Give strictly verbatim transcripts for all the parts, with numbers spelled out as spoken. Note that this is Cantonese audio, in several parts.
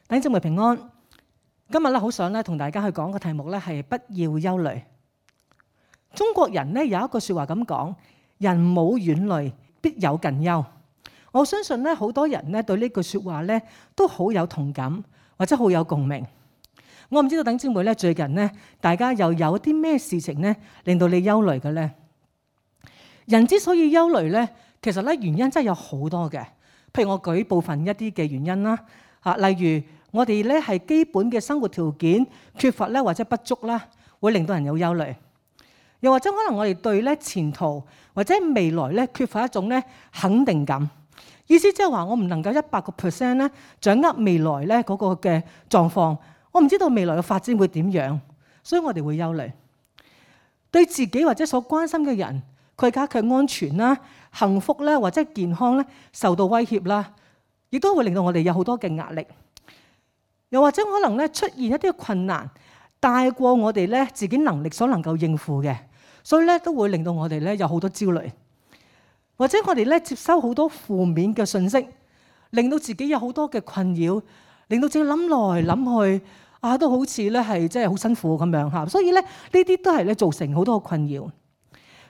弟兄姊妹平安。今日咧好想咧同大家去講個題目咧係不要憂慮。中國人咧有一句說話咁講：人冇遠慮，必有近憂。我相信咧好多人咧對呢句說話咧都好有同感，或者好有共鳴。我唔知道弟兄姊妹咧最近咧大家又有啲咩事情咧令到你憂慮嘅咧？人之所以憂慮咧，其實咧原因真係有好多嘅。譬如我舉部分一啲嘅原因啦，嚇，例如我哋咧係基本嘅生活條件缺乏咧或者不足啦，會令到人有憂慮。又或者可能我哋對咧前途或者未來咧缺乏一種咧肯定感，意思即係話我唔能夠一百個 percent 咧掌握未來咧嗰個嘅狀況，我唔知道未來嘅發展會點樣，所以我哋會憂慮。對自己或者所關心嘅人，佢家嘅安全啦、幸福咧或者健康咧受到威脅啦，亦都會令到我哋有好多嘅壓力。又或者可能咧出現一啲困難，大過我哋咧自己能力所能夠應付嘅，所以咧都會令到我哋咧有好多焦慮。或者我哋咧接收好多負面嘅信息，令到自己有好多嘅困擾，令到自己諗來諗去啊，都好似咧係即係好辛苦咁樣嚇。所以咧呢啲都係咧造成好多嘅困擾。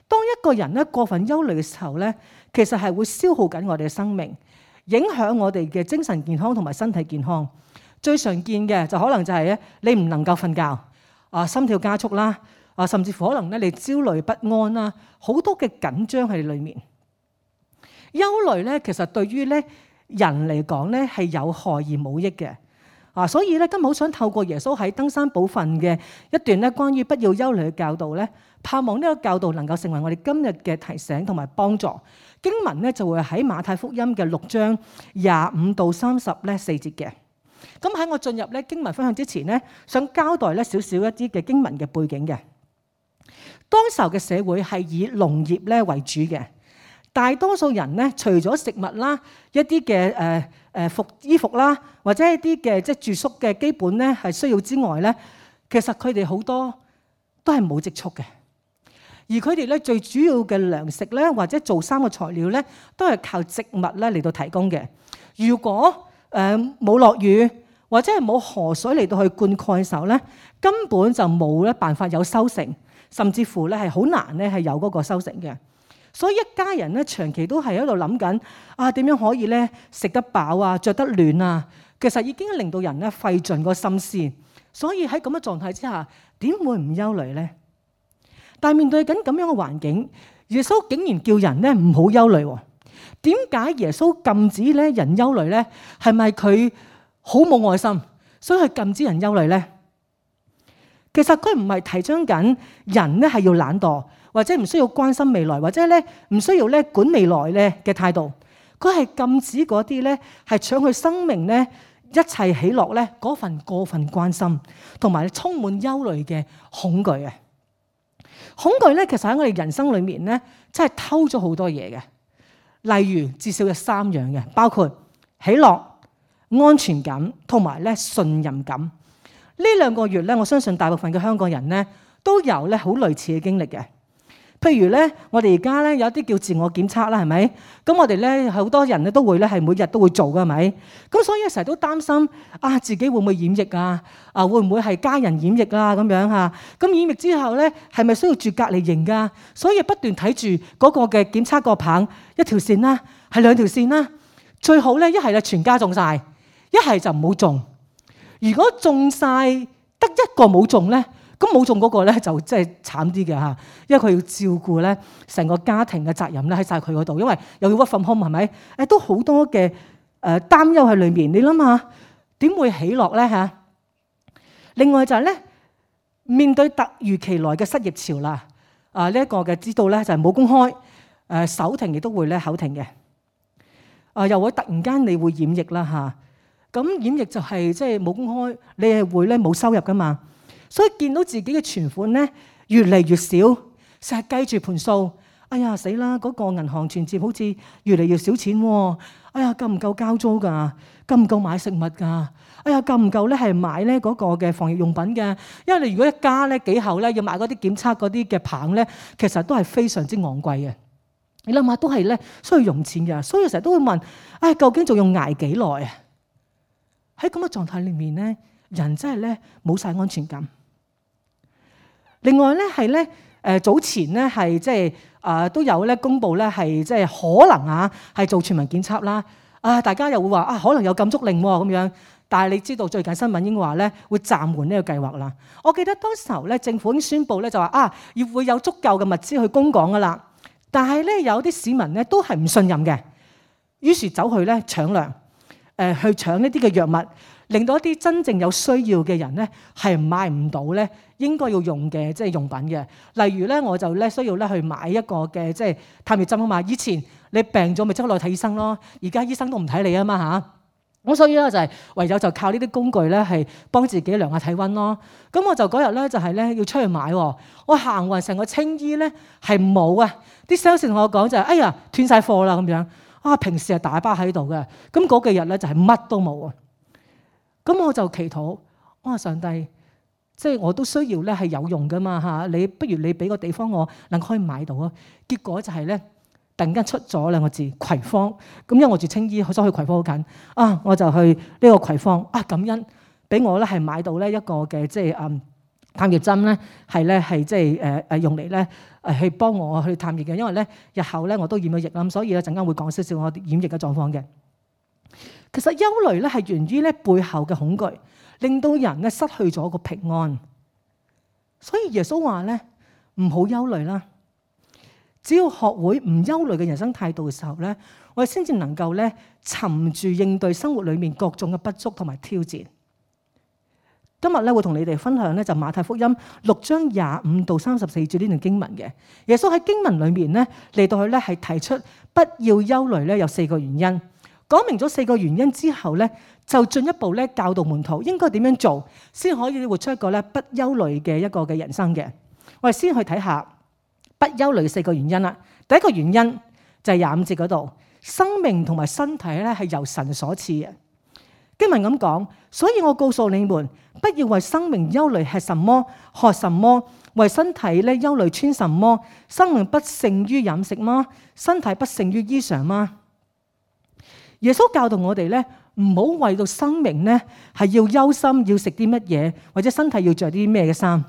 當一個人咧過分憂慮嘅時候咧，其實係會消耗緊我哋嘅生命，影響我哋嘅精神健康同埋身體健康。最常見嘅就可能就係咧，你唔能夠瞓覺，啊心跳加速啦，啊甚至乎可能咧你焦慮不安啦，好多嘅緊張喺裏面。憂慮咧其實對於咧人嚟講咧係有害而冇益嘅，啊所以咧今日好想透過耶穌喺登山寶訓嘅一段咧關於不要憂慮嘅教導咧，盼望呢個教導能夠成為我哋今日嘅提醒同埋幫助。經文咧就會喺馬太福音嘅六章廿五到三十咧四節嘅。咁喺我進入咧經文分享之前咧，想交代咧少少一啲嘅經文嘅背景嘅。當時候嘅社會係以農業咧為主嘅，大多數人咧除咗食物啦、一啲嘅誒誒服衣服啦，或者一啲嘅即係住宿嘅基本咧係需要之外咧，其實佢哋好多都係冇積蓄嘅。而佢哋咧最主要嘅糧食咧，或者做衫嘅材料咧，都係靠植物咧嚟到提供嘅。如果誒冇落雨或者係冇河水嚟到去灌溉嘅時候咧，根本就冇咧辦法有收成，甚至乎咧係好難咧係有嗰個收成嘅。所以一家人咧長期都係喺度諗緊啊點樣可以咧食得飽啊、着得暖啊，其實已經令到人咧費盡個心思。所以喺咁嘅狀態之下，點會唔憂慮咧？但係面對緊咁樣嘅環境，耶穌竟然叫人咧唔好憂慮喎。點解耶穌禁止咧人憂慮咧？係咪佢好冇愛心，所以佢禁止人憂慮咧？其實佢唔係提倡緊人咧係要懶惰，或者唔需要關心未來，或者咧唔需要咧管未來咧嘅態度。佢係禁止嗰啲咧係搶佢生命咧一切喜樂咧嗰份過分關心，同埋充滿憂慮嘅恐懼啊！恐懼咧其實喺我哋人生裏面咧真係偷咗好多嘢嘅。例如至少有三樣嘅，包括喜樂、安全感同埋咧信任感。呢兩個月咧，我相信大部分嘅香港人咧都有咧好類似嘅經歷嘅。譬如咧，我哋而家咧有啲叫自我檢測啦，係咪？咁我哋咧好多人咧都會咧係每日都會做㗎，係咪？咁所以成日都擔心啊，自己會唔會染疫啊？啊，會唔會係家人染疫啊？咁樣嚇。咁染疫之後咧，係咪需要住隔離營㗎？所以不斷睇住嗰個嘅檢測個棒，一條線啦，係兩條線啦。最好咧，一係咧全家中晒，一係就唔好中。如果中晒得一個冇中咧，咁冇中嗰個咧就真係慘啲嘅嚇，因為佢要照顧咧成個家庭嘅責任咧喺晒佢嗰度，因為又要 work from home 係咪？誒都好多嘅誒擔憂喺裏面。你諗下點會喜樂咧嚇？另外就係咧面對突如其來嘅失業潮啦，啊呢一個嘅知道咧就係冇工開，誒手停亦都會咧口停嘅，啊又會突然間你會染疫啦嚇。咁染疫就係即係冇工開，你係會咧冇收入噶嘛。所以見到自己嘅存款咧越嚟越少，成日計住盤數，哎呀死啦！嗰個銀行存摺好似越嚟越少錢喎，哎呀夠唔夠交租㗎？夠唔夠買食物㗎？哎呀夠唔夠咧係買咧嗰個嘅防疫用品嘅？因為你如果一家咧幾口咧要買嗰啲檢測嗰啲嘅棒咧，其實都係非常之昂貴嘅。你諗下都係咧需要用錢嘅，所以成日都會問：唉，究竟仲要捱幾耐啊？喺咁嘅狀態裏面咧，人真係咧冇晒安全感。另外咧係咧誒早前咧係即係啊都有咧公佈咧係即係可能啊係做全民檢測啦。啊大家又會話啊可能有禁足令喎咁樣。但係你知道最近新聞已經話咧會暫緩呢個計劃啦。我記得當時候咧政府已經宣布咧就話啊要會有足夠嘅物資去供港噶啦。但係咧有啲市民咧都係唔信任嘅，於是走去咧搶糧，誒去搶呢啲嘅藥物，令到一啲真正有需要嘅人咧係買唔到咧應該要用嘅即係用品嘅。例如咧我就咧需要咧去買一個嘅即係探熱針啊嘛。以前你病咗咪即刻落去睇醫生咯，而家醫生都唔睇你啊嘛嚇。咁所以咧就係唯有就靠呢啲工具咧係幫自己量下體温咯。咁我就嗰日咧就係咧要出去買喎，我行勻成個青衣咧係冇啊！啲 sales 同我講就係哎呀斷晒貨啦咁樣啊！平時係大把喺度嘅，咁嗰幾日咧就係乜都冇啊！咁我就祈禱，我話上帝，即係我都需要咧係有用噶嘛嚇，你不如你俾個地方我能夠可以買到啊！結果就係咧。突然間出咗兩個字葵芳，咁因為我住青衣，所以去葵芳好近啊，我就去呢個葵芳啊，感恩俾我咧係買到咧一個嘅即係嗯探熱針咧，係咧係即係誒誒用嚟咧誒去幫我去探熱嘅，因為咧日後咧我都染咗疫啦，所以咧陣間會講少少我染疫嘅狀況嘅。其實憂慮咧係源於咧背後嘅恐懼，令到人咧失去咗個平安。所以耶穌話咧唔好憂慮啦。只要學會唔憂慮嘅人生態度嘅時候咧，我哋先至能夠咧沉住應對生活裡面各種嘅不足同埋挑戰。今日咧會同你哋分享咧就馬太福音六章廿五到三十四節呢段經文嘅。耶穌喺經文裡面咧嚟到去咧係提出不要憂慮咧有四個原因，講明咗四個原因之後咧就進一步咧教導門徒應該點樣做先可以活出一個咧不憂慮嘅一個嘅人生嘅。我哋先去睇下。不憂慮四個原因啦。第一個原因就係廿五節嗰度，生命同埋身體咧係由神所賜嘅。經文咁講，所以我告訴你們，不要為生命憂慮吃什麼、喝什麼；為身體咧憂慮穿什麼。生命不勝於飲食嗎？身體不勝於衣裳嗎？耶穌教導我哋咧，唔好為到生命咧係要憂心，要食啲乜嘢，或者身體要着啲咩嘅衫，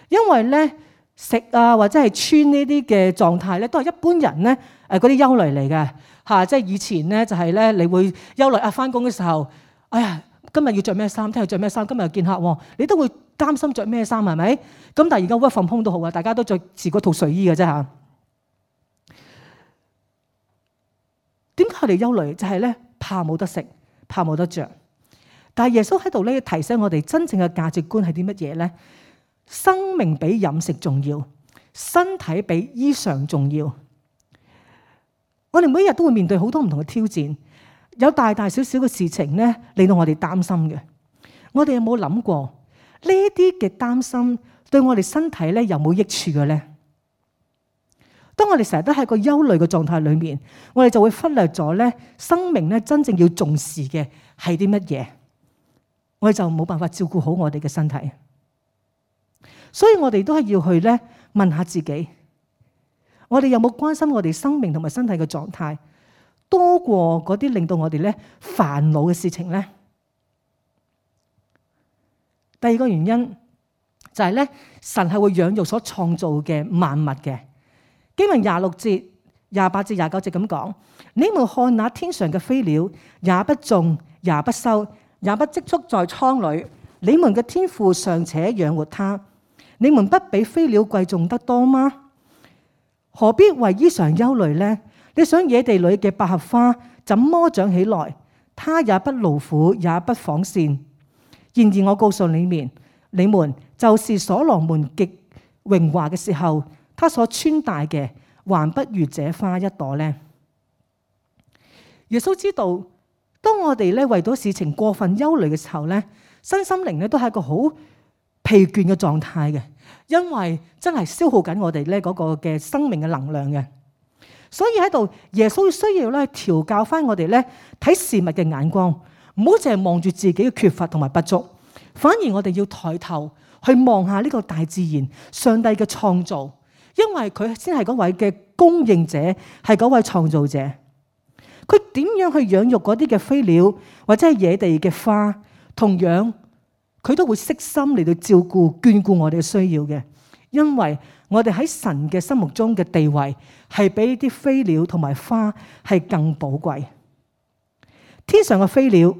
因為咧。食啊或者係穿呢啲嘅狀態咧，都係一般人咧誒嗰啲憂慮嚟嘅嚇。即係以前咧就係咧，你會憂慮啊，翻工嘅時候，哎呀，今日要着咩衫？聽日着咩衫？今日又見客喎，你都會擔心着咩衫係咪？咁但係而家 work from home都好啊，大家都着自嗰套睡衣嘅啫嚇。點解我哋憂慮？就係咧怕冇得食，怕冇得着。但係耶穌喺度咧提醒我哋，真正嘅價值觀係啲乜嘢咧？生命比飲食重要，身體比衣裳重要。我哋每一日都會面對好多唔同嘅挑戰，有大大小小嘅事情咧，令到我哋擔心嘅。我哋有冇諗過呢啲嘅擔心對我哋身體咧有冇益處嘅咧？當我哋成日都喺個憂慮嘅狀態裏面，我哋就會忽略咗咧生命咧真正要重視嘅係啲乜嘢，我哋就冇辦法照顧好我哋嘅身體。所以我哋都係要去咧問下自己，我哋有冇關心我哋生命同埋身體嘅狀態，多過嗰啲令到我哋咧煩惱嘅事情咧？第二個原因就係咧，神係會養育所創造嘅萬物嘅。經文廿六節、廿八至廿九節咁講：你們看那天上嘅飛鳥，也不種，也不收，也不積蓄在倉裏，你們嘅天父尚且養活它。你們不比飛鳥貴重得多嗎？何必為衣裳憂慮呢？你想野地裏嘅百合花怎麼長起來？它也不勞苦，也不紡線。然而我告訴你們，你們就是所羅門極榮華嘅時候，他所穿戴嘅還不如這花一朵呢。耶穌知道，當我哋咧為到事情過分憂慮嘅時候咧，身心靈咧都係一個好疲倦嘅狀態嘅，因為真係消耗緊我哋咧嗰個嘅生命嘅能量嘅。所以喺度耶穌需要咧調教翻我哋咧睇事物嘅眼光，唔好淨係望住自己嘅缺乏同埋不足，反而我哋要抬頭去望下呢個大自然上帝嘅創造，因為佢先係嗰位嘅供應者，係嗰位創造者。佢點樣去養育嗰啲嘅飛鳥或者係野地嘅花，同樣佢都會悉心嚟到照顧眷顧我哋嘅需要嘅，因為我哋喺神嘅心目中嘅地位係比啲飛鳥同埋花係更寶貴。天上嘅飛鳥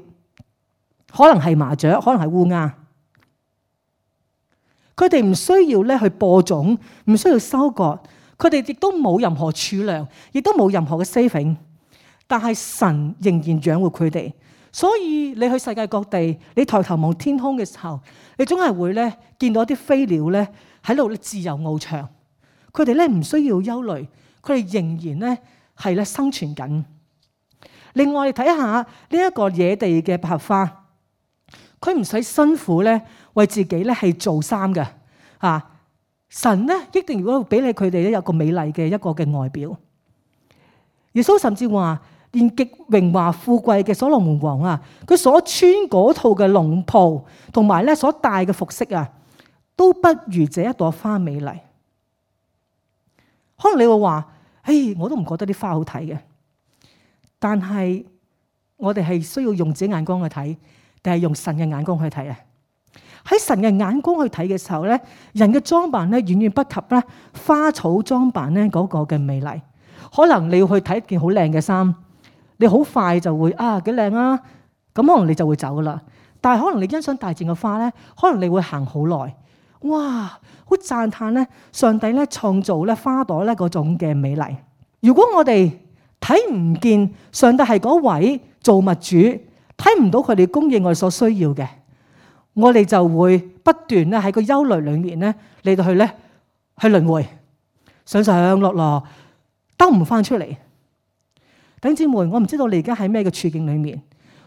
可能係麻雀，可能係烏鴉，佢哋唔需要咧去播種，唔需要收割，佢哋亦都冇任何儲糧，亦都冇任何嘅 saving， 但係神仍然養活佢哋。所以你去世界各地，你抬頭望天空嘅時候，你總係會咧見到啲飛鳥咧喺度自由翱翔，佢哋咧唔需要憂慮，佢哋仍然咧係咧生存緊。另外，你睇下呢一個野地嘅百合花，佢唔使辛苦咧為自己咧係做衫嘅啊！神咧一定如果俾你佢哋咧有個美麗嘅一個嘅外表。耶穌甚至話，連極榮華富貴嘅所羅門王啊，佢所穿嗰套嘅龍袍同埋咧所戴嘅服飾啊，都不如這一朵花美麗。可能你會話，誒，我都唔覺得啲花好睇嘅。但係我哋係需要用自己眼光去睇，定係用神嘅眼光去睇啊？喺神嘅眼光去睇嘅時候咧，人嘅裝扮咧遠遠不及咧花草裝扮咧嗰個嘅美麗。可能你要去睇一件好靚嘅衫，你好快就會啊幾靚啊，咁可能你就會走噶啦。但係可能你欣賞大自然嘅花咧，可能你會行好耐，哇，好讚嘆咧上帝咧創造咧花朵咧嗰種嘅美麗。如果我哋睇唔見上帝係嗰位造物主，睇唔到佢哋供應我哋所需要嘅，我哋就會不斷咧喺個憂慮裏面咧嚟到去咧去輪迴，上上落落，兜唔翻出嚟。弟兄姊妹，我唔知道你而家喺咩嘅處境裏面。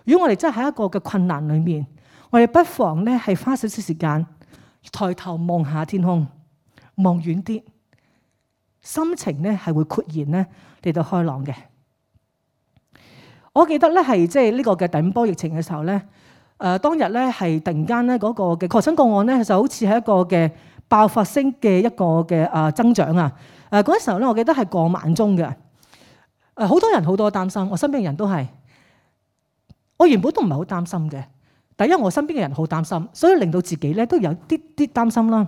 如果我哋真係喺一個嘅困難裏面，我哋不妨咧係花少少時間，抬頭望下天空，望遠啲，心情咧係會豁然咧嚟到開朗嘅。我記得咧係即係呢個嘅第五波疫情嘅時候咧，誒、呃、當日咧係突然間咧嗰個嘅確診個案咧就好似係一個嘅爆發性嘅一個嘅誒增長啊！誒嗰陣時候咧，我記得係過萬宗嘅，誒好多人好多擔心，我身邊嘅人都係，我原本都唔係好擔心嘅，但因為我身邊嘅人好擔心，所以令到自己咧都有啲啲擔心啦。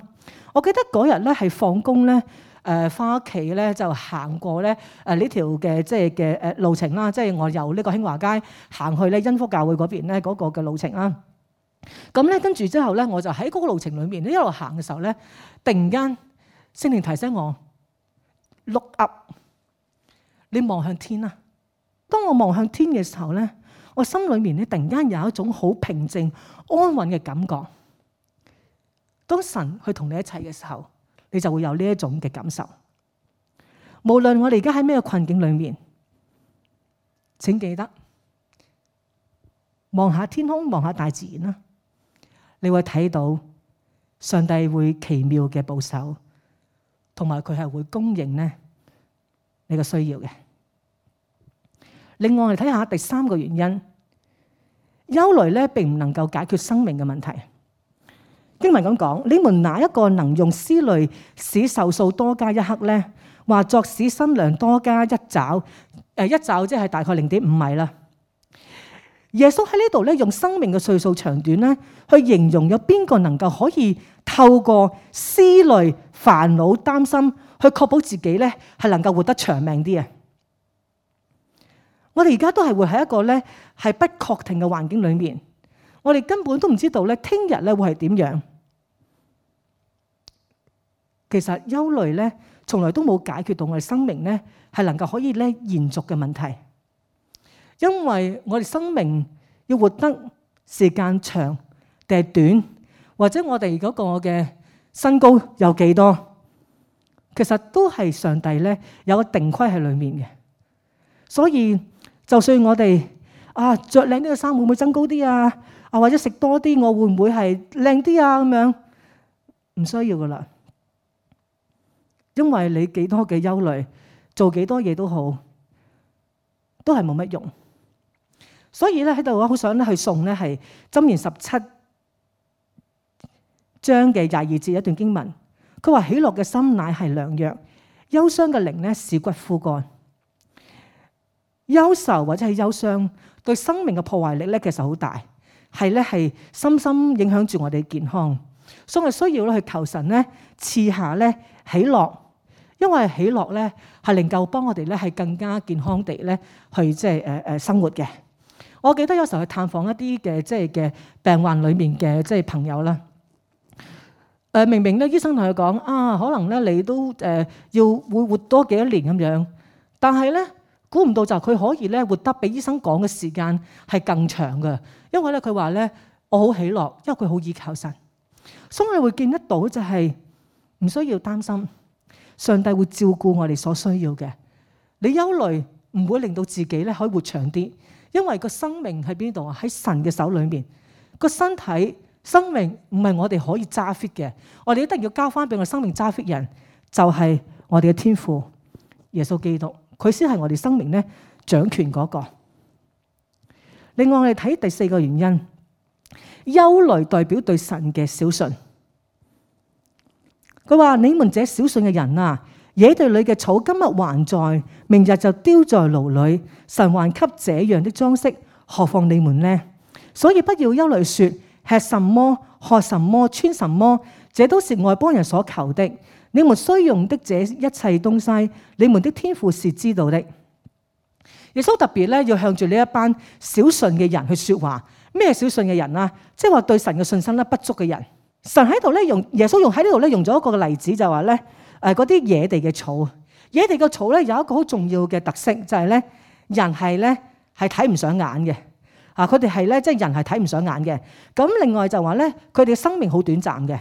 我記得嗰日咧係放工咧。誒翻屋企咧就行過咧誒呢條嘅即係嘅誒路程啦，即係我由呢個興華街行去咧恩福教會嗰邊咧嗰個嘅路程啦。咁咧跟住之後咧，我就喺嗰個路程裏面咧一路行嘅時候咧，突然間聖靈提醒我 look up， 你望向天啊！當我望向天嘅時候咧，我心裏面咧突然間有一種好平靜安穩嘅感覺。當神去同你一齊嘅時候，你就會有呢一種嘅感受。無論我哋而家喺咩困境裏面，請記得望下天空，望下大自然啦，你會睇到上帝會奇妙嘅保守，同埋佢係會供應咧你嘅需要嘅。另外，我哋睇下第三個原因，憂慮咧並唔能夠解決生命嘅問題。經文咁講，你們哪一個能用思慮使壽數多加一刻呢？或作使身量多加一肘？誒，一肘即係大概零點五米啦。耶穌喺呢度咧，用生命嘅歲數長短咧，去形容有邊個能夠可以透過思慮、煩惱、擔心，去確保自己咧係能夠活得長命啲啊！我哋而家都係活喺一個咧係不確定嘅環境裏面。我哋根本都唔知道咧，聽日咧會係點樣。其實憂慮咧，從來都冇解決到我哋生命咧係能夠可以咧延續嘅問題。因為我哋生命要活得時間長定係短，或者我哋嗰個嘅身高有幾多，其實都係上帝咧有個定規喺裏面嘅。所以就算我哋啊着靚啲嘅衫會唔會增高啲啊？啊，或者食多啲，我會唔會係靚啲啊？咁樣唔需要噶啦，因為你幾多嘅憂慮，做幾多嘢都好，都係冇乜用。所以咧喺度我好想咧去送咧係箴言十七章嘅廿二節一段經文，佢話喜樂嘅心乃係良藥，憂傷嘅靈咧使骨枯乾。憂愁或者係憂傷對生命嘅破壞力咧其實好大。係咧係深深影響住我哋健康，所以我需要咧去求神咧賜下咧喜樂，因為喜樂咧係能夠幫我哋咧係更加健康地咧去即係誒誒生活嘅。我記得有時候去探訪一啲嘅即係嘅病患裏面嘅即係朋友啦，誒明明咧醫生同佢講啊，可能咧你都誒要會活多幾多年咁樣，但係咧估唔到就佢可以咧活得比醫生講嘅時間係更長嘅，因為咧佢話咧我好喜樂，因為佢好依靠神，所以我哋會見得到就係唔需要擔心，上帝會照顧我哋所需要嘅。你憂慮唔會令到自己咧可以活長啲，因為個生命喺邊度啊？喺神嘅手裏面。個身體生命唔係我哋可以揸 fit 嘅，我哋一定要交翻俾我生命揸 fit 人，就係我哋嘅天父耶穌基督，佢先係我哋生命咧掌權嗰個。另外我哋睇第四個原因，憂慮代表對神嘅小信。佢話：你們這小信嘅人啊，野地裏嘅草今日還在，明日就丟在爐裏。神還給這樣的裝飾，何況你們呢？所以不要憂慮說，吃什麼、喝什麼、穿什麼，這都是外邦人所求的。你們需用的這一切東西，你們的天父是知道的。耶穌特別咧要向住呢一班小信嘅人去說話。咩小信嘅人啊？即係話對神嘅信心咧不足嘅人。神喺度咧用耶穌用喺呢度咧用咗一個例子，就話咧誒嗰啲野地嘅草，野地嘅草咧有一個好重要嘅特色，就係咧人係咧係睇唔上眼嘅。啊！佢哋係咧，即係人係睇唔上眼嘅。咁另外就話咧，佢哋嘅生命好短暫嘅。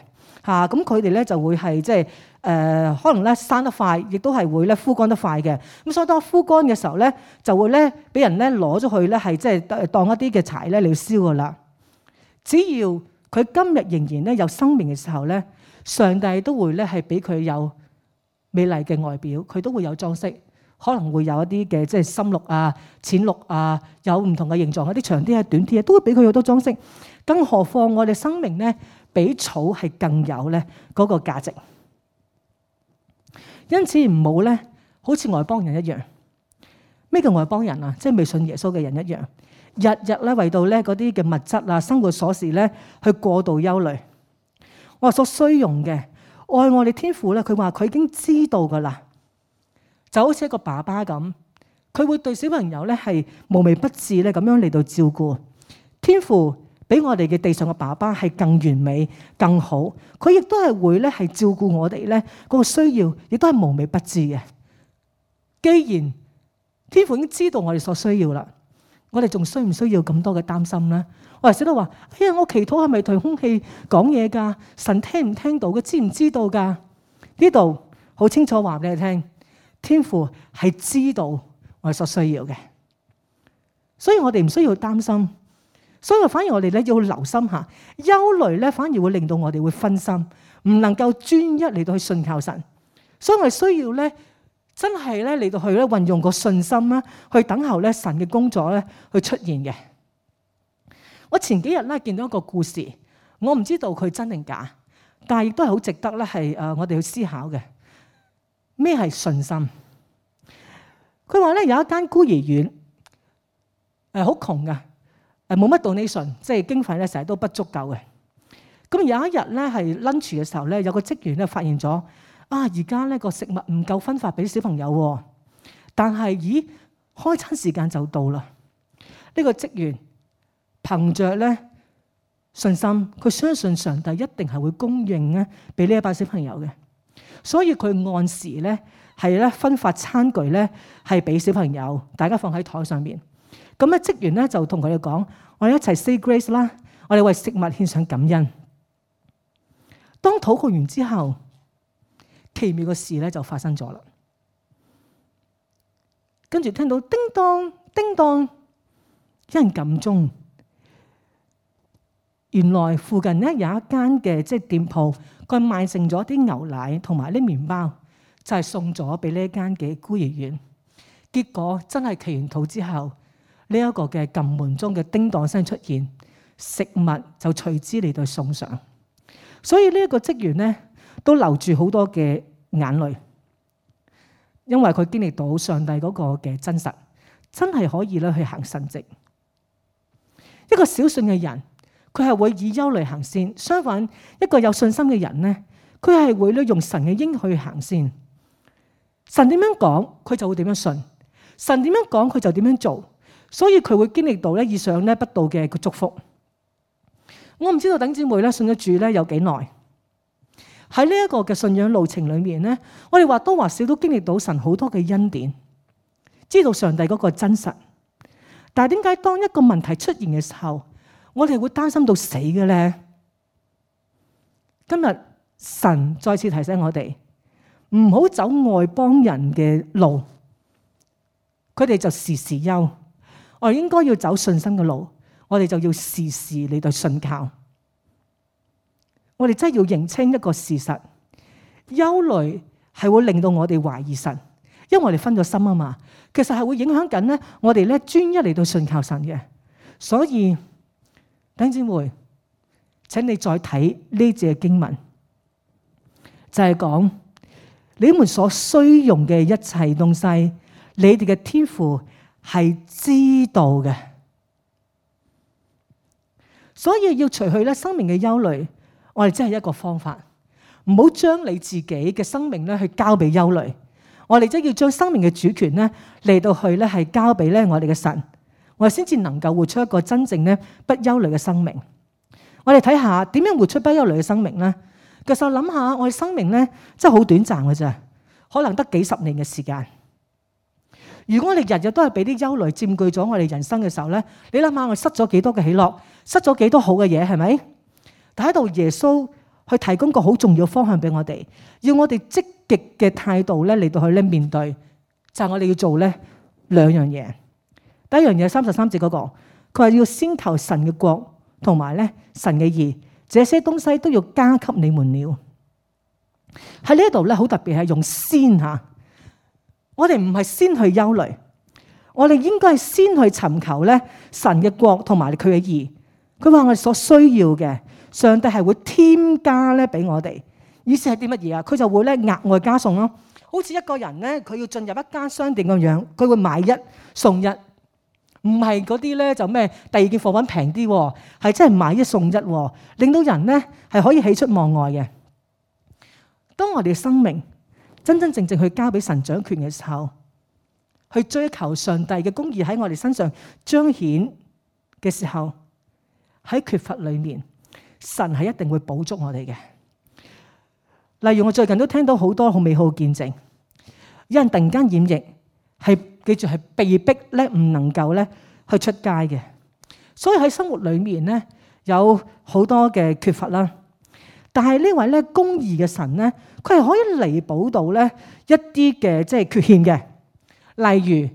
嚇！咁佢哋咧就會係即係誒，可能咧生得快，亦都係會咧枯乾得快嘅。咁所以當枯乾嘅時候咧，就會咧俾人咧攞咗去咧，係即係當一啲嘅柴咧嚟燒噶啦。只要佢今日仍然咧有生命嘅時候咧，上帝都會咧係俾佢有美麗嘅外表，佢都會有裝飾。可能會有一啲嘅即係深綠啊、淺綠啊，有唔同嘅形狀，一啲長啲啊、短啲啊，都會俾佢好多裝飾。更何況我哋生命咧，比草係更有咧嗰個價值。因此唔好咧，好似外邦人一樣。咩叫外邦人啊？即係未信耶穌嘅人一樣，日日咧為到咧嗰啲嘅物質啊、生活瑣事咧去過度憂慮。我話所需用嘅愛我哋天父咧，佢話佢已經知道噶啦。就好似一個爸爸咁，佢會對小朋友咧係無微不至咧咁樣嚟到照顧。天父比我哋嘅地上嘅爸爸係更完美、更好，佢亦都係會咧係照顧我哋咧嗰個需要，亦都係無微不至嘅。既然天父已經知道我哋所需要啦，我哋仲需唔需要咁多嘅擔心咧？我哋成日都話：哎呀，我祈禱係咪同空氣講嘢㗎？神聽唔聽到嘅？知唔知道㗎？呢度好清楚話俾你聽。天父係知道我哋所需要嘅，所以我哋唔需要擔心，所以反而我哋咧要留心下，憂慮咧反而會令到我哋會分心，唔能夠專一嚟到去信靠神。所以我哋需要咧真係咧嚟到去咧運用個信心啦，去等候咧神嘅工作咧去出現嘅。我前幾日咧見到一個故事，我唔知道佢真定假，但係亦都係好值得咧係誒我哋去思考嘅。咩係信心？佢話咧有一間孤兒院，誒好窮噶，誒冇乜 donation，即係經費咧成日都不足夠嘅。咁有一日咧係 lunch 嘅時候咧，有個職員咧發現咗啊，而家咧個食物唔夠分發俾小朋友喎。但係咦，開餐時間就到啦。呢個職員憑着咧信心，佢相信上帝一定係會供應咧俾呢一班小朋友嘅。所以佢按時咧係咧分發餐具咧係俾小朋友，大家放喺台上面。咁咧職員咧就同佢哋講：我哋一齊 say grace 啦，我哋為食物獻上感恩。當禱告完之後，奇妙嘅事咧就發生咗啦。跟住聽到叮當叮當，有人撳鐘。原來附近咧有一間嘅即係店鋪，佢賣剩咗啲牛奶同埋啲麵包，就係送咗俾呢一間嘅孤兒院。結果真係祈完禱之後，呢一個嘅撳門鐘嘅叮當聲出現，食物就隨之嚟到送上。所以呢一個職員咧都流住好多嘅眼淚，因為佢經歷到上帝嗰個嘅真實，真係可以咧去行神蹟。一個小信嘅人，佢係會以憂慮行先。相反，一個有信心嘅人咧，佢係會咧用神嘅應許行先。神點樣講，佢就會點樣信；神點樣講，佢就點樣做。所以佢會經歷到咧以上咧不道嘅個祝福。我唔知道弟兄姊妹咧信咗主咧有幾耐。喺呢一個嘅信仰路程裏面咧，我哋或多或少都經歷到神好多嘅恩典，知道上帝嗰個真實。但係點解當一個問題出現嘅時候，我哋會擔心到死嘅咧？今日神再次提醒我哋，唔好走外邦人嘅路，佢哋就時時憂。我哋應該要走信心嘅路，我哋就要時時嚟到信靠。我哋真係要認清一個事實，憂慮係會令到我哋懷疑神，因為我哋分咗心啊嘛。其實係會影響緊咧我哋咧專一嚟到信靠神嘅。所以弟兄姊妹，請你再睇呢節經文，就係講你們所需用嘅一切東西，你哋嘅天父係知道嘅。所以要除去咧生命嘅憂慮，我哋真係一個方法，唔好將你自己嘅生命咧去交俾憂慮。我哋真係要將生命嘅主權咧嚟到去咧係交俾咧我哋嘅神，我哋先至能夠活出一個真正咧不憂慮嘅生命。我哋睇下點樣活出不憂慮嘅生命咧？其實諗下，我哋生命咧真係好短暫嘅啫，可能得幾十年嘅時間。如果我哋日日都係俾啲憂慮佔據咗我哋人生嘅時候咧，你諗下我哋失咗幾多嘅喜樂，失咗幾多好嘅嘢，係咪？但喺度耶穌去提供個好重要方向俾我哋，要我哋積極嘅態度咧嚟到去咧面對，就係我哋要做咧兩樣嘢。第一樣嘢三十三節嗰個，佢話要先求神嘅國同埋咧神嘅義，這些東西都要加給你們了。喺呢一度咧好特別係用先吓，我哋唔係先去憂慮，我哋應該係先去尋求咧神嘅國同埋佢嘅義。佢話我哋所需要嘅，上帝係會添加咧俾我哋。意思係啲乜嘢啊？佢就會咧額外加送咯。好似一個人咧，佢要進入一間商店咁樣，佢會買一送一，唔係嗰啲咧就咩第二件貨品平啲，係真係買一送一，令到人咧係可以喜出望外嘅。當我哋嘅生命真真正正去交俾神掌權嘅時候，去追求上帝嘅公義喺我哋身上彰顯嘅時候，喺缺乏裏面，神係一定會補足我哋嘅。例如我最近都聽到好多好美好嘅見證，有人突然間染疫，係記住係被逼咧唔能夠咧去出街嘅，所以喺生活裏面咧有好多嘅缺乏啦。但係呢位咧公義嘅神咧，佢係可以彌補到咧一啲嘅即係缺陷嘅。例如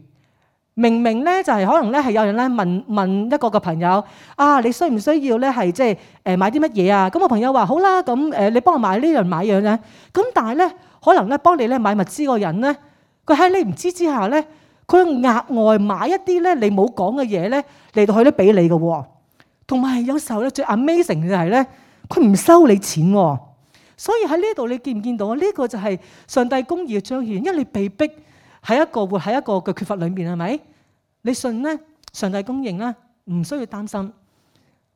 明明咧就係可能咧係有人咧問問一個個朋友啊，你需唔需要咧係即係誒買啲乜嘢啊？咁我朋友話好啦，咁誒你幫我買呢樣買樣咧。咁但係咧可能咧幫你咧買物資個人咧，佢喺你唔知之下咧，佢額外買一啲咧你冇講嘅嘢咧嚟到去咧俾你嘅喎。同埋有時候咧最 amazing 嘅就係咧，佢唔收你錢喎。所以喺呢度你見唔見到啊？呢個就係上帝公義嘅彰顯，因為你被逼喺一個活喺一個嘅缺乏裏面，係咪？你信咧，上帝供應啦，唔需要擔心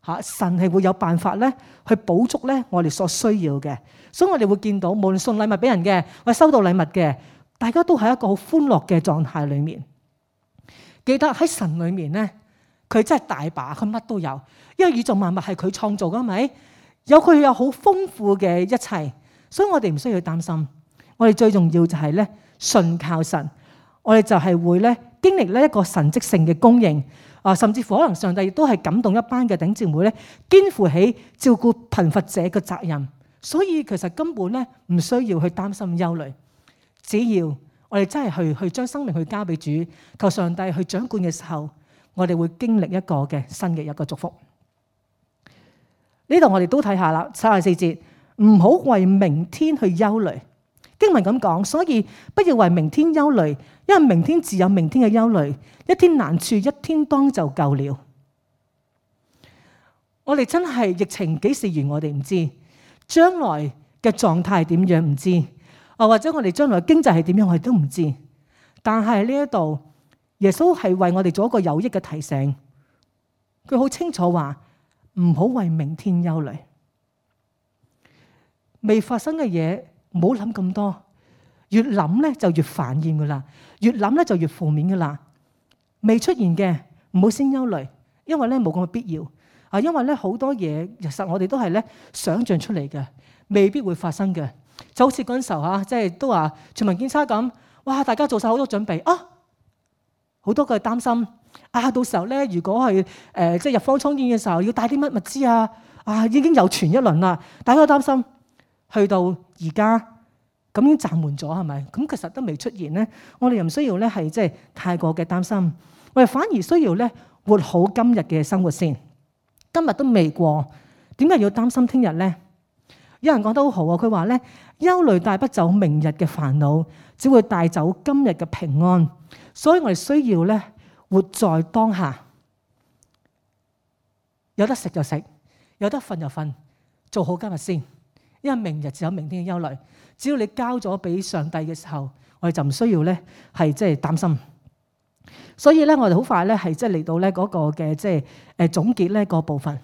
嚇。神係會有辦法咧去補足咧我哋所需要嘅。所以我哋會見到，無論送禮物俾人嘅，或者收到禮物嘅，大家都喺一個好歡樂嘅狀態裏面。記得喺神裏面咧，佢真係大把，佢乜都有，因為宇宙萬物係佢創造㗎，係咪？有佢有好豐富嘅一切，所以我哋唔需要擔心。我哋最重要就係咧信靠神，我哋就係會咧經歷呢一個神蹟性嘅供應啊，甚至乎可能上帝亦都係感動一班嘅弟兄姊妹咧，肩負起照顧貧乏者嘅責任。所以其實根本咧唔需要去擔心憂慮，只要我哋真係去去將生命去交俾主，求上帝去掌管嘅時候，我哋會經歷一個嘅新嘅一個祝福。呢度我哋都睇下啦，三十四節，唔好為明天去憂慮。經文咁講，所以不要為明天憂慮，因為明天自有明天嘅憂慮，一天難處一天當就夠了。我哋真係疫情幾時完，我哋唔知，將來嘅狀態點樣唔知，啊或者我哋將來經濟係點樣，我哋都唔知。但係呢一度，耶穌係為我哋做一個有益嘅提醒，佢好清楚話。唔好為明天憂慮。未發生嘅嘢唔好諗咁多，越諗咧就越煩厭噶啦，越諗咧就越負面噶啦。未出現嘅唔好先憂慮，因為咧冇咁嘅必要啊。因為咧好多嘢其實我哋都係咧想象出嚟嘅，未必會發生嘅。就好似嗰陣時候嚇，即係都話全民檢測咁，哇！大家做晒好多準備啊，好多個擔心啊，到時候咧如果係誒即係入方艙醫院嘅時候要帶啲乜物資啊，啊已經又傳一輪啦，大家都擔心。去到而家咁已經暫緩咗係咪？咁其實都未出現咧，我哋又唔需要咧係即係太過嘅擔心，我哋反而需要咧活好今日嘅生活先。今日都未過，點解要擔心聽日咧？有人講得好好啊，佢話咧憂慮帶不走明日嘅煩惱，只會帶走今日嘅平安。所以我哋需要咧活在當下，有得食就食，有得瞓就瞓，做好今日先。因為明日只有明天嘅憂慮，只要你交咗俾上帝嘅時候，我哋就唔需要咧係即係擔心。所以咧，我哋好快咧係即係嚟到咧嗰個嘅即係誒總結咧個部分。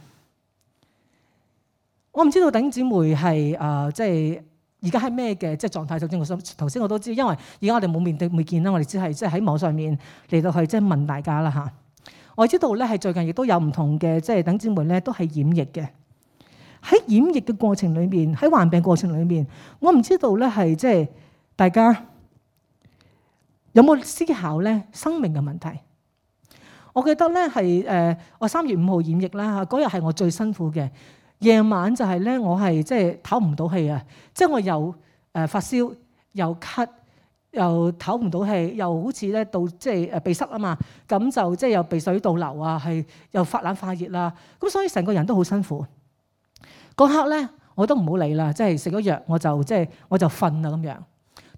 我唔知道弟兄姊妹係誒即係而家係咩嘅即係狀態。首先我想頭先我都知，因為而家我哋冇面對面見啦，我哋只係即係喺網上面嚟到去即係問大家啦嚇。我知道咧係最近亦都有唔同嘅即係弟兄姊妹咧都係染疫嘅。喺染疫嘅過程裏面，喺患病過程裏面，我唔知道咧係即係大家有冇思考咧生命嘅問題。我記得咧係誒我三月五號染疫啦，嗰日係我最辛苦嘅夜晚，就係咧我係即係唞唔到氣啊！即係我又誒發燒，又咳，又唞唔到氣，又好似咧到即係誒鼻塞啊嘛，咁就即係又鼻水倒流啊，係又發冷發熱啦，咁所以成個人都好辛苦。嗰刻咧，我都唔好理啦，即係食咗藥，我就即係我就瞓啦咁樣。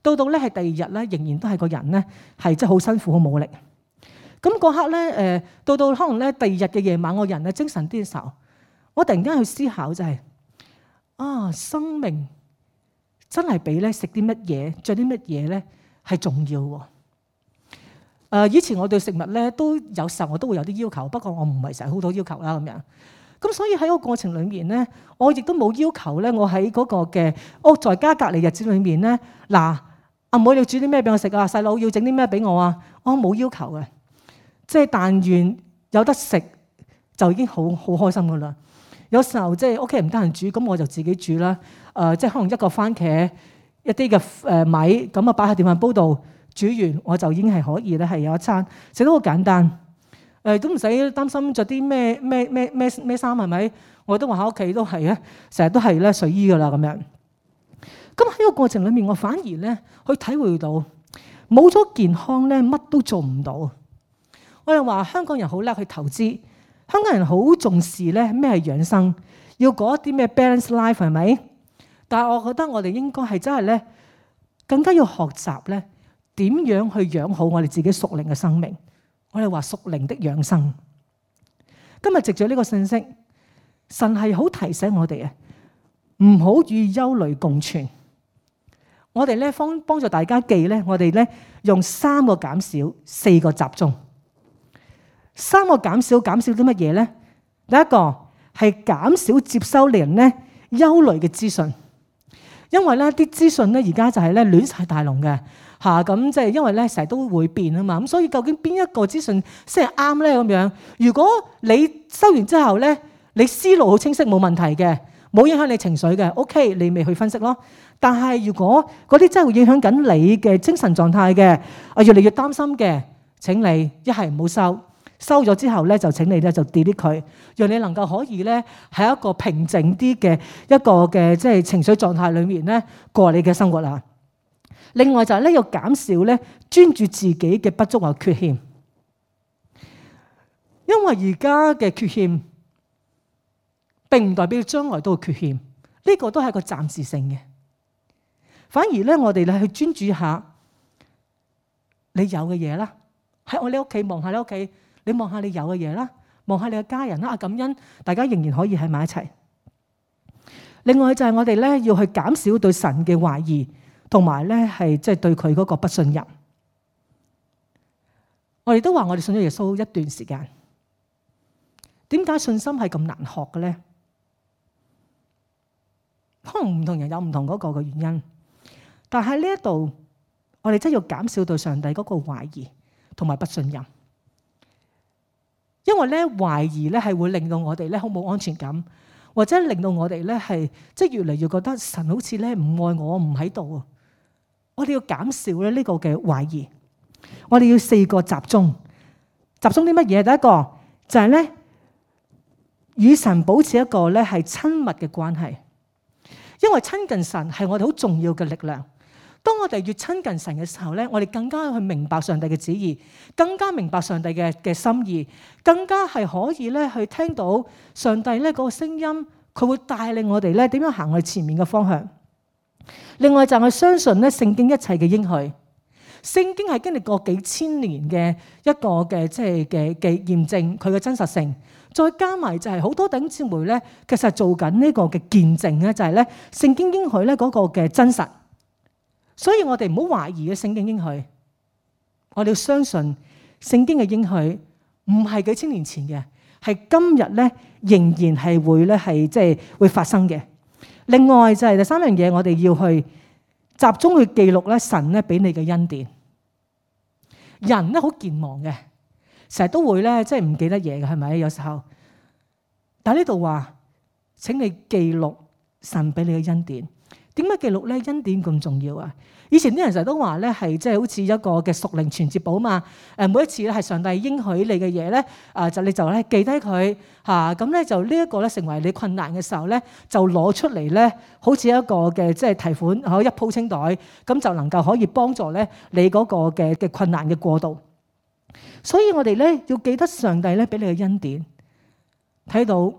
到到咧係第二日咧，仍然都係個人咧係即係好辛苦、好冇力。咁嗰刻咧，誒到到可能咧第二日嘅夜晚，我人咧精神啲嘅時候，我突然間去思考就係啊，生命真係比咧食啲乜嘢、着啲乜嘢咧係重要喎。誒以前我對食物咧都有時候我都會有啲要求，不過我唔係成日好多要求啦咁樣。咁所以喺個過程裏面咧，我亦都冇要求咧。我喺嗰個嘅屋在家隔離日子裏面咧，嗱，阿妹你要煮啲咩俾我食啊？細佬要整啲咩俾我啊？我冇要求嘅，即係但願有得食就已經好好開心噶啦。有時候即係屋企人唔得閒煮，咁我就自己煮啦。誒、呃，即係可能一個番茄一啲嘅誒米咁啊，擺喺電飯煲度煮完，我就已經係可以咧，係有一餐食得好簡單。誒都唔使擔心着啲咩咩咩咩咩衫係咪？我都話喺屋企都係啊，成日都係咧睡衣噶啦咁樣。咁喺個過程裏面，我反而咧去體會到冇咗健康咧，乜都做唔到。我哋話香港人好叻去投資，香港人好重視咧咩係養生，要過一啲咩 balance life 係咪？但係我覺得我哋應該係真係咧更加要學習咧點樣去養好我哋自己屬靈嘅生命。我哋話屬靈的養生。今日藉著呢個信息，神係好提醒我哋啊，唔好與憂慮共存。我哋咧幫幫助大家記咧，我哋咧用三個減少，四個集中。三個減少，減少啲乜嘢咧？第一個係減少接收令人咧憂慮嘅資訊，因為咧啲資訊咧而家就係咧亂晒大龍嘅。嚇咁即係因為咧成日都會變啊嘛，咁所以究竟邊一個資訊先係啱咧咁樣？如果你收完之後咧，你思路好清晰冇問題嘅，冇影響你情緒嘅 ，OK， 你咪去分析咯。但係如果嗰啲真係會影響緊你嘅精神狀態嘅，啊越嚟越擔心嘅，請你一係唔好收，收咗之後咧就請你咧就 delete 佢，讓你能夠可以咧喺一個平靜啲嘅一個嘅即係情緒狀態裡面咧過你嘅生活啦。另外就係咧要減少咧專注自己嘅不足或缺陷，因為而家嘅缺陷並唔代表將來都會缺陷，呢個都係一個暫時性嘅。反而咧我哋咧去專注下你有嘅嘢啦，喺我哋屋企望下你屋企，你望下你有嘅嘢啦，望下你嘅家人啦，啊感恩大家仍然可以喺埋一齊。另外就係我哋咧要去減少對神嘅懷疑。同埋咧，係即係對佢嗰個不信任。我哋都話我哋信咗耶穌一段時間，點解信心係咁難學嘅咧？可能唔同人有唔同嗰個嘅原因，但係呢一度我哋真係要減少對上帝嗰個懷疑同埋不信任，因為咧懷疑咧係會令到我哋咧好冇安全感，或者令到我哋咧係即係越嚟越覺得神好似咧唔愛我，唔喺度啊！我哋要減少咧呢個嘅懷疑，我哋要四個集中，集中啲乜嘢？第一個就係咧與神保持一個咧係親密嘅關係。因為親近神係我哋好重要嘅力量。當我哋越親近神嘅時候咧，我哋更加去明白上帝嘅旨意，更加明白上帝嘅嘅心意，更加係可以咧去聽到上帝咧嗰個聲音，佢會帶領我哋咧點樣行去前面嘅方向。另外就係相信咧聖經一切嘅應許，聖經係經歷過幾千年嘅一個嘅即係嘅嘅驗證佢嘅真實性。再加埋就係好多弟兄姊妹咧，其實做緊呢個嘅見證咧，就係咧聖經應許咧嗰個嘅真實。所以我哋唔好懷疑嘅聖經應許，我哋要相信聖經嘅應許唔係幾千年前嘅，係今日咧仍然係會咧係即係會發生嘅。另外就係第三樣嘢，我哋要去集中去記錄咧神咧俾你嘅恩典。人咧好健忘嘅。成日都會咧，即係唔記得嘢嘅，係咪？有時候，但係呢度話，請你記錄神俾你嘅恩典。點解記錄咧？恩典咁重要啊！以前啲人成日都話咧，係即係好似一個嘅屬靈傳接簿嘛。誒，每一次咧係上帝應許你嘅嘢咧，啊就你就咧記低佢嚇，咁咧就呢一個咧成為你困難嘅時候咧，就攞出嚟咧，好似一個嘅即係提款，可一鋪清袋，咁就能夠可以幫助咧你嗰個嘅嘅困難嘅過渡。所以我哋咧要記得上帝咧俾你嘅恩典，睇到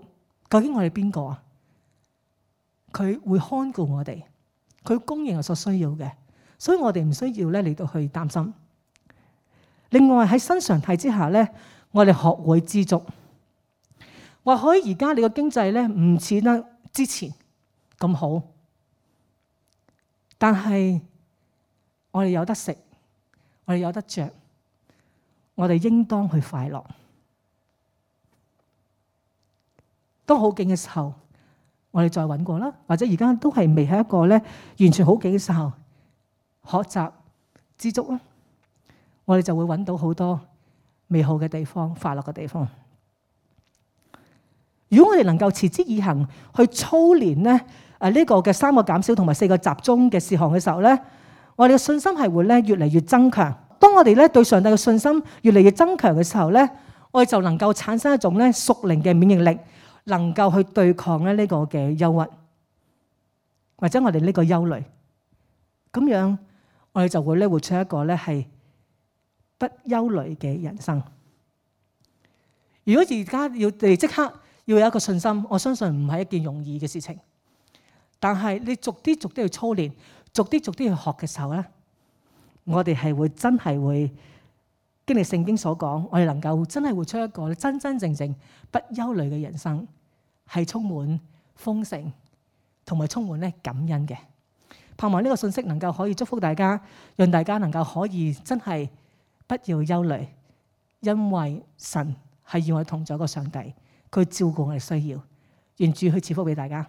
究竟我哋邊個啊？佢會看顧我哋，佢供應我所需要嘅，所以我哋唔需要咧嚟到去擔心。另外喺新常態之下咧，我哋學會知足。或許而家你個經濟咧唔似得之前咁好，但係我哋有得食，我哋有得着。我哋應當去快樂。當好景嘅時候，我哋再揾過啦，或者而家都係未係一個咧完全好景嘅時候，學習知足啦，我哋就會揾到好多美好嘅地方、快樂嘅地方。如果我哋能夠持之以恆去操練咧，誒呢個嘅三個減少同埋四個集中嘅事項嘅時候咧，我哋嘅信心係會咧越嚟越增強。當我哋咧對上帝嘅信心越嚟越增強嘅時候咧，我哋就能夠產生一種咧屬靈嘅免疫力，能夠去對抗咧呢個嘅憂鬱，或者我哋呢個憂慮。咁樣我哋就會咧活出一個咧係不憂慮嘅人生。如果而家要你即刻要有一個信心，我相信唔係一件容易嘅事情。但係你逐啲逐啲去操練，逐啲逐啲去學嘅時候咧，我哋係會真係會經歷聖經所講，我哋能夠真係活出一個真真正正不憂慮嘅人生，係充滿豐盛同埋充滿咧感恩嘅。盼望呢個信息能夠可以祝福大家，讓大家能夠可以真係不要憂慮，因為神係與我哋同在一個上帝，佢照顧我哋需要，願主去賜福俾大家。